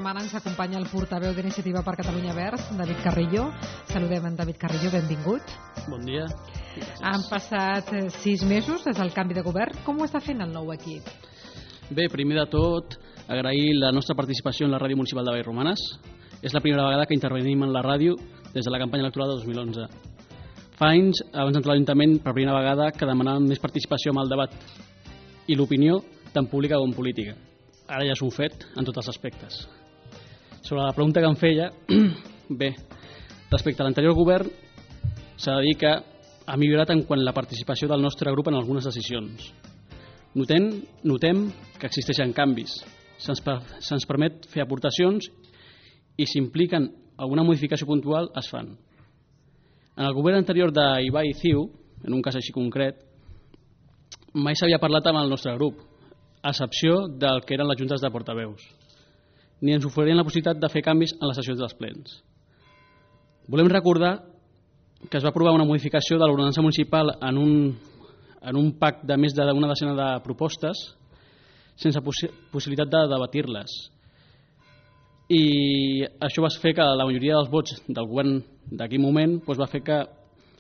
setmana ens acompanya el portaveu d'Iniciativa per Catalunya Verds, David Carrillo. Saludem en David Carrillo, benvingut. Bon dia. Han passat 6 mesos des del canvi de govern. Com ho està fent el nou equip? Bé, primer de tot, agrair la nostra participació en la Ràdio Municipal de Vallromanes. És la primera vegada que intervenim en la ràdio des de la campanya electoral de 2011. Fa anys, abans d'entrar a l'Ajuntament, per primera vegada que demanàvem més participació en el debat i l'opinió, tant pública com política. Ara ja és un fet en tots els aspectes. Sobre la pregunta que em feia, bé, respecte a l'anterior govern, s'ha de dir que ha millorat en quant a la participació del nostre grup en algunes decisions. Notem que existeixen canvis, se'ns permet fer aportacions i si impliquen alguna modificació puntual es fan. En el govern anterior d'Ibai i Ciu, en un cas així concret, mai s'havia parlat amb el nostre grup, a excepció del que eren les juntes de portaveus. Ni ens oferien la possibilitat de fer canvis en les sessions dels plens. Volem recordar que es va aprovar una modificació de l'ordenança municipal en un pack de més d'una desena de propostes sense possibilitat de debatir-les. I això va fer que la majoria dels vots del govern d'aquell moment va fer que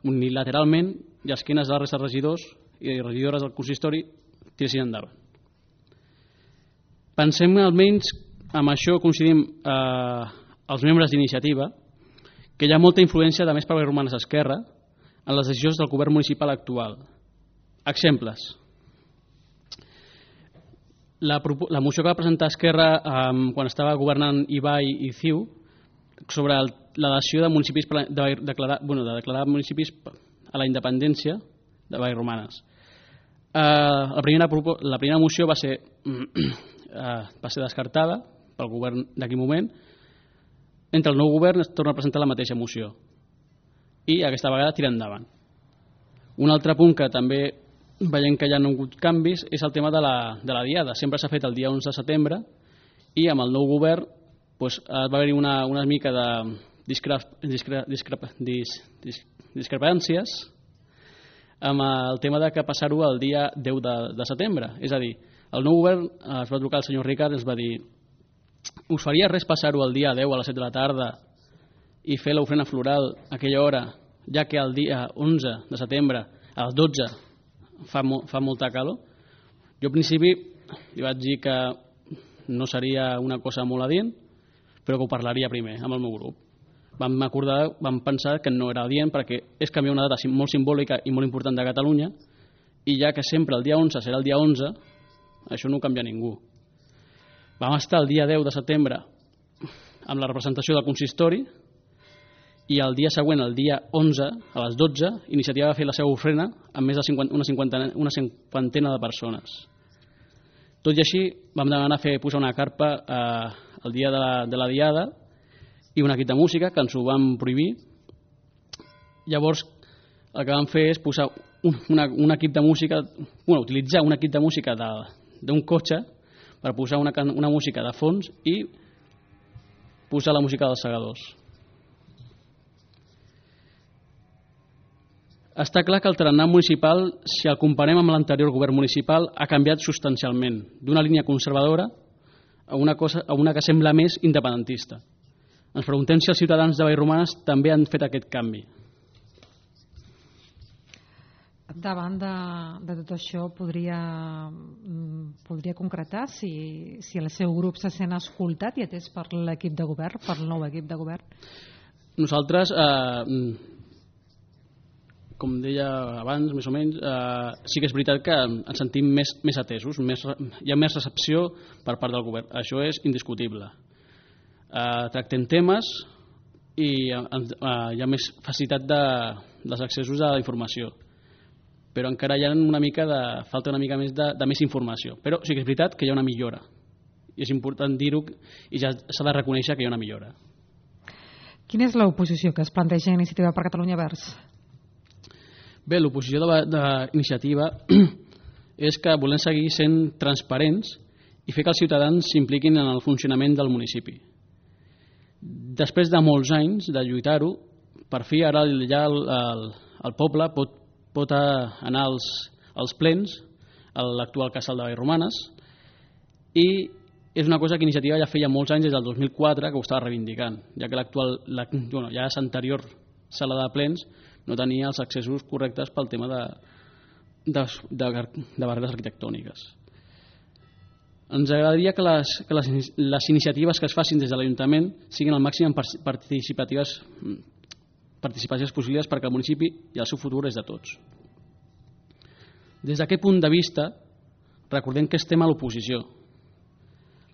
unilateralment i a esquenes de la resta de regidors i regidores del consistori tiressin endavant. Pensem almenys, amb això coincidim els membres d'Iniciativa, que hi ha molta influència de més per Vallromanes Esquerra en les decisions del govern municipal actual. Exemples. La moció que va presentar Esquerra quan estava governant Ibai i Ciu sobre la dació de municipis de declarar municipis a la independència de Vallromanes. La primera moció va ser descartada pel govern d'aquell moment. Entre el nou govern es torna a presentar la mateixa moció i aquesta vegada tira endavant. Un altre punt que també veiem que hi ha hagut canvis és el tema de la diada. Sempre s'ha fet el dia 11 de setembre i amb el nou govern va haver-hi una mica de discrepàncies amb el tema de que passar-ho el dia 10 de setembre. És a dir, el nou govern es va trucar al senyor Ricard i ens va dir: us faria res passar-ho el dia 10 a les 7 de la tarda i fer l'ofrena floral a aquella hora, ja que el dia 11 de setembre a les 12 fa molta calor? Jo al principi li vaig dir que no seria una cosa molt adient, però que ho parlaria primer amb el meu grup. Vam pensar que no era adient perquè és canviar una data molt simbòlica i molt important de Catalunya i ja que sempre el dia 11 serà el dia 11, això no ho canvia ningú. Vam estar el dia 10 de setembre amb la representació del consistori i el dia següent, el dia 11, a les 12, Iniciativa va fer la seva ofrena amb més de una cinquantena de persones. Tot i així, vam demanar posar una carpa el dia de la diada i un equip de música, que ens ho van prohibir. Llavors, el que vam fer és posar un equip de música, utilitzar un equip de música d'un cotxe per posar una música de fons i posar la música dels segadors. Està clar que el tarannà municipal, si el comparem amb l'anterior govern municipal, ha canviat substancialment, d'una línia conservadora a una que sembla més independentista. Ens preguntem si els ciutadans de Vallromanes també han fet aquest canvi. Davant de tot això, podria concretar si el seu grup se sent escoltat i atès per l'equip de govern, per el nou equip de govern? Nosaltres, com deia abans, més o menys, sí que és veritat que ens sentim més atesos, hi ha més recepció per part del govern, això és indiscutible. Tractem temes i hi ha més facilitat dels accessos a la informació, però encara hi ha falta una mica més de més informació, però sí que és veritat que hi ha una millora i és important dir-ho i ja s'ha de reconèixer que hi ha una millora. Quina és l'oposició que es planteja a Iniciativa per Catalunya Verds? Bé, l'oposició d'Iniciativa és que volem seguir sent transparents i fer que els ciutadans s'impliquin en el funcionament del municipi. Després de molts anys de lluitar-ho, per fi ara ja el poble pot anar als plens, a l'actual casal de Vallromanes, i és una cosa que Iniciativa ja feia molts anys, des del 2004, que ho estava reivindicant, ja que ja l'anterior sala de plens no tenia els accessos correctes pel tema de barreres arquitectòniques. Ens agradaria que les iniciatives que es facin des de l'Ajuntament siguin al màxim participatives possibles, perquè el municipi i el seu futur és de tots. Des d'aquest punt de vista, recordem que estem a l'oposició.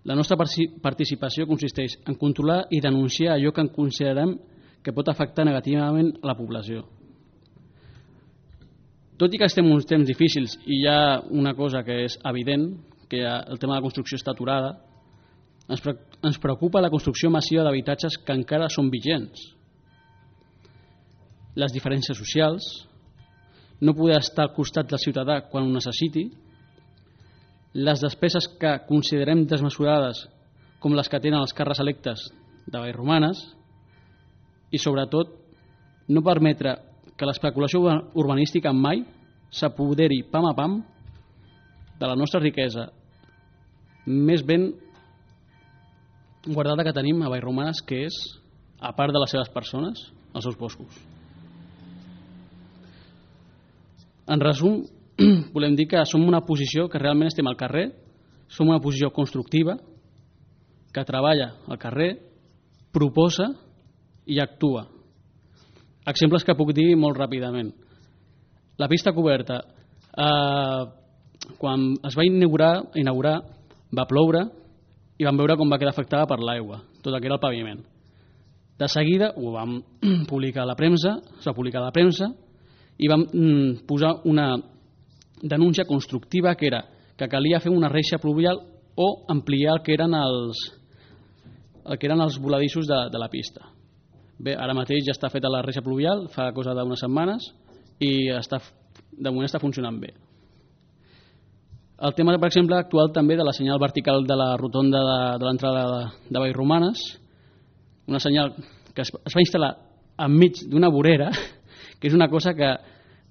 La nostra participació consisteix en controlar i denunciar allò que considerem que pot afectar negativament a la població. Tot i que estem en uns temps difícils i hi ha una cosa que és evident, que el tema de la construcció està aturada, ens preocupa la construcció massiva d'habitatges que encara són vigents. Les diferències socials, no poder estar al costat del ciutadà quan ho necessiti, les despeses que considerem desmesurades com les que tenen els càrrecs electes de Vallromanes i, sobretot, no permetre que l'especulació urbanística mai s'apoderi pam a pam de la nostra riquesa més ben guardada que tenim a Vallromanes, que és, a part de les seves persones, els seus boscos. En resum, volem dir que som una posició que realment estem al carrer, som una posició constructiva, que treballa al carrer, proposa i actua. Exemples que puc dir molt ràpidament. La pista coberta, quan es va inaugurar, va ploure i vam veure com va quedar afectada per l'aigua, tot el que era el paviment. De seguida ho vam publicar a la premsa, es va publicar a la premsa i vam posar una denúncia constructiva, que era que calia fer una reixa pluvial o ampliar el que eren els voladissos de la pista. Bé, ara mateix ja està feta la reixa pluvial, fa cosa d'unes setmanes, i de moment està funcionant bé. El tema, per exemple, actual també de la senyal vertical de la rotonda de l'entrada de Vallromanes, una senyal que es va instal·lar enmig d'una vorera, que és una cosa que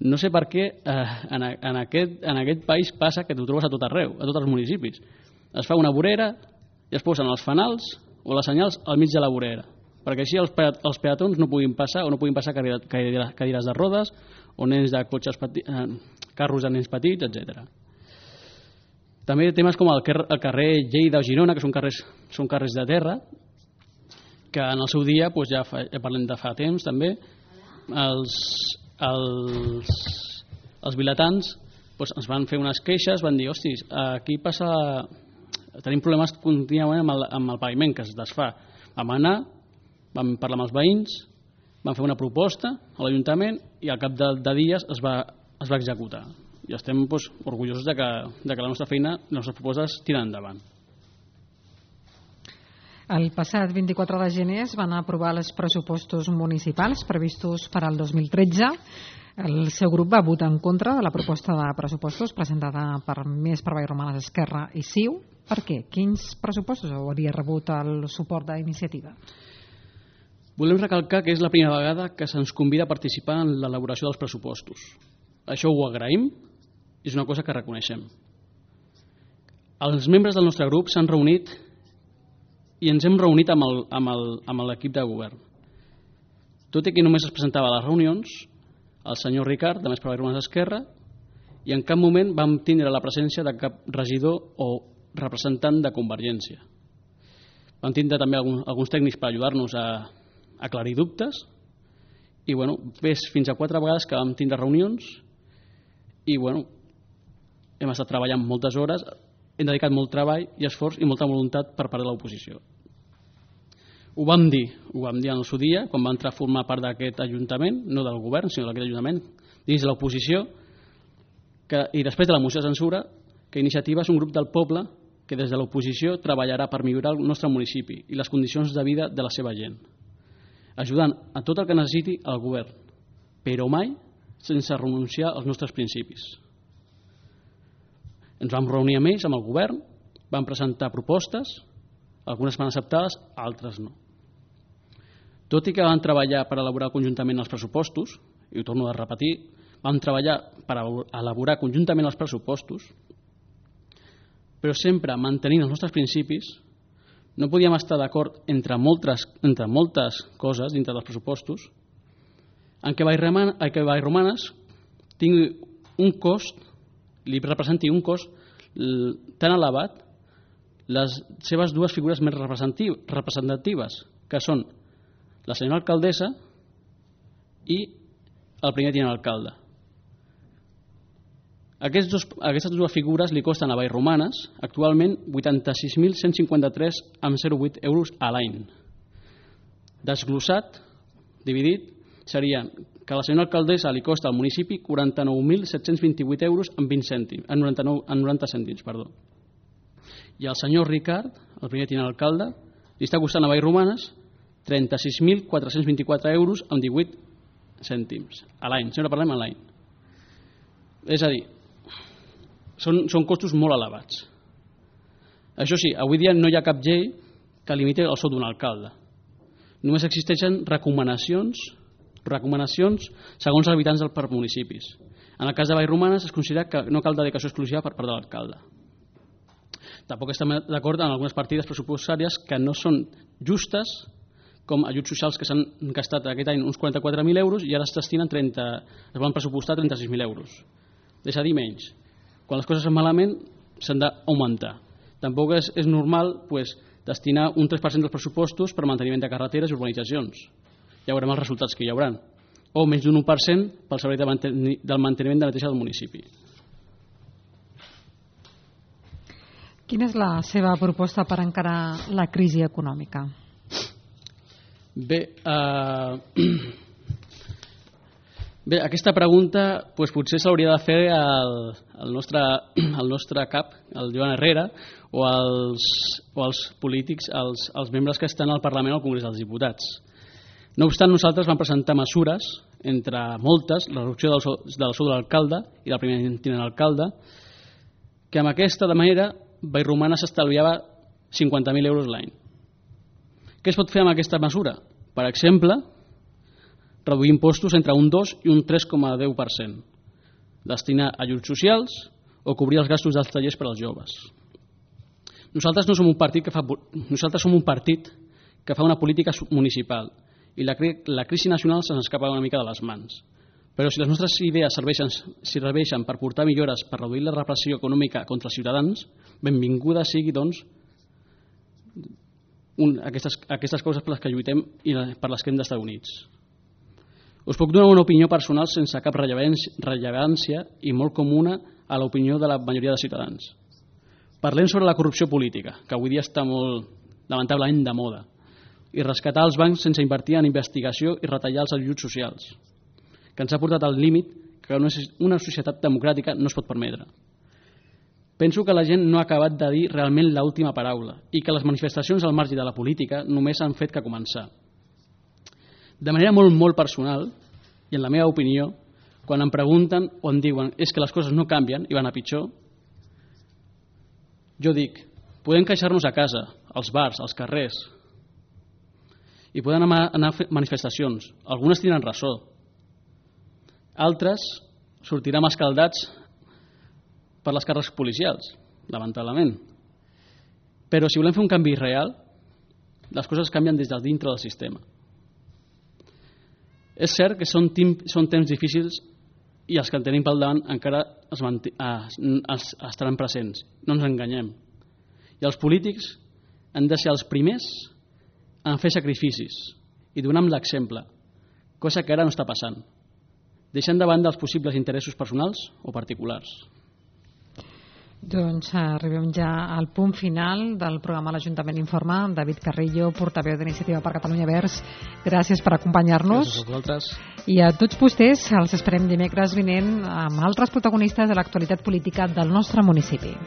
no sé per què en aquest país passa, que t'ho trobes a tot arreu, a tots els municipis. Es fa una vorera i es posen els fanals o les senyals al mig de la vorera, perquè així els peatons no puguin passar, o no puguin passar cadires de rodes o nens de cotxes carros de nens petits, etc. També temes com el carrer Lleida o Girona, que són carrers de terra, que en el seu dia, ja parlem de fa temps també, els vilatans ens van fer unes queixes, van dir, hostis, aquí tenim problemes contínuament amb el paviment que es desfà. Vam anar, vam parlar amb els veïns, vam fer una proposta a l'Ajuntament i al cap de dies es va executar. I estem orgullosos de que la nostra feina, les nostres propostes tiren endavant. El passat 24 de gener es van aprovar els pressupostos municipals previstos per al 2013. El seu grup va votar en contra de la proposta de pressupostos presentada per Més per Vallromanes, Esquerra i CiU. Per què? Quins pressupostos hauria rebut el suport d'Iniciativa? Volem recalcar que és la primera vegada que se'ns convida a participar en l'elaboració dels pressupostos. Això ho agraïm, és una cosa que reconeixem. Els membres del nostre grup s'han reunit i ens hem reunit amb l'equip de govern. Tot i que només es presentava a les reunions, el senyor Ricard, de Més per Vallromanes, Esquerra, i en cap moment vam tindre la presència de cap regidor o representant de Convergència. Vam tindre també alguns tècnics per ajudar-nos a aclarir dubtes i fins a 4 vegades que vam tindre reunions i hem estat treballant moltes hores, hem dedicat molt treball i esforç i molta voluntat per part de l'oposició. Ho vam dir en el seu dia, quan va entrar a formar part d'aquest Ajuntament, no del govern, sinó d'aquest Ajuntament, dins de l'oposició, i després de la moció de censura, que Iniciativa és un grup del poble que des de l'oposició treballarà per millorar el nostre municipi i les condicions de vida de la seva gent, ajudant a tot el que necessiti el govern, però mai sense renunciar als nostres principis. Ens vam reunir amb ells, amb el govern, vam presentar propostes, algunes van acceptades, altres no. Tot i que vam treballar per elaborar conjuntament els pressupostos, i ho torno a repetir, vam treballar per elaborar conjuntament els pressupostos, però sempre mantenint els nostres principis, no podíem estar d'acord entre moltes coses dintre dels pressupostos en què Vallromanes tingui un cost, li representi un cost tan elevat les seves dues figures més representatives, que són la senyora alcaldessa i el primer tinent alcalde. Aquestes dues figures li costen a Vallromanes actualment 86.153,08 euros a l'any. Desglossat, dividit, seria que a la senyora alcaldessa li costa al municipi 49.728 euros en 90 cèntims. I al senyor Ricard, el primer tinent alcalde, li està costant a Vallromanes 36.424 euros amb 18 cèntims a l'any. Sempre parlem a l'any. És a dir, són costos molt elevats. Això sí, avui dia no hi ha cap llei que limiti el sou d'un alcalde. Només existeixen recomanacions segons els habitants per municipis. En el cas de Vallromanes es considera que no cal dedicació exclusiva per part de l'alcalde. Tampoc estem d'acord en algunes partides pressupostàries que no són justes, com ajuts socials que s'han gastat aquest any uns 44.000 euros i ara es volen pressupostar 36.000 euros. És a dir, menys. Quan les coses van malament s'han d'augmentar. Tampoc és normal destinar un 3% dels pressupostos per manteniment de carreteres i urbanitzacions. Ja veurem els resultats que hi haurà. O menys d'un 1% pel servei del manteniment de neteja del municipi. Quina és la seva proposta per encarar la crisi econòmica? Bé, aquesta pregunta potser s'hauria de fer al nostre cap, el Joan Herrera, o als polítics, als membres que estan al Parlament o al Congrés dels Diputats. No obstant, nosaltres vam presentar mesures, entre moltes, la reducció del sou de l'alcalde i del primer tinent alcalde, que amb aquesta manera Vallromanes s'estalviava 50.000 euros l'any. Què es pot fer amb aquesta mesura? Per exemple, reduir impostos entre un 2 i un 3,10%, destinar a ajuts socials o cobrir els gastos dels tallers per als joves. Nosaltres som un partit que fa una política municipal i la crisi nacional se'ns escapa una mica de les mans. Però si les nostres idees serveixen per portar millores per reduir la repressió econòmica contra els ciutadans, benvinguda sigui, doncs, aquestes coses per les que lluitem i per les que hem d'estar units. Us puc donar una opinió personal sense cap rellevància i molt comuna a l'opinió de la majoria de ciutadans. Parlem sobre la corrupció política, que avui dia està molt, lamentablement, de moda, i rescatar els bancs sense invertir en investigació i retallar els ajuts socials, que ens ha portat al límit que una societat democràtica no es pot permetre. Penso que la gent no ha acabat de dir realment l'última paraula i que les manifestacions al marge de la política només han fet que començar. De manera molt personal, i en la meva opinió, quan em pregunten o em diuen és que les coses no canvien i van a pitjor, jo dic, podem queixar-nos a casa, als bars, als carrers, i poden anar a manifestacions. Algunes tenen raó. Altres sortiran escaldats per les càrrecs policials, lamentablement. Però si volem fer un canvi real, les coses canvien des de dintre del sistema. És cert que són temps difícils i els que en tenim pel davant encara estaran presents. No ens enganyem. I els polítics han de ser els primers en fer sacrificis i donar l'exemple, cosa que ara no està passant, deixant de banda els possibles interessos personals o particulars. Doncs arribem ja al punt final del programa L'Ajuntament Informa. David Carrillo, portaveu d'Iniciativa per Catalunya Verds, gràcies per acompanyar-nos. Gràcies a vosaltres. I a tots vostès els esperem dimecres vinent amb altres protagonistes de l'actualitat política del nostre municipi.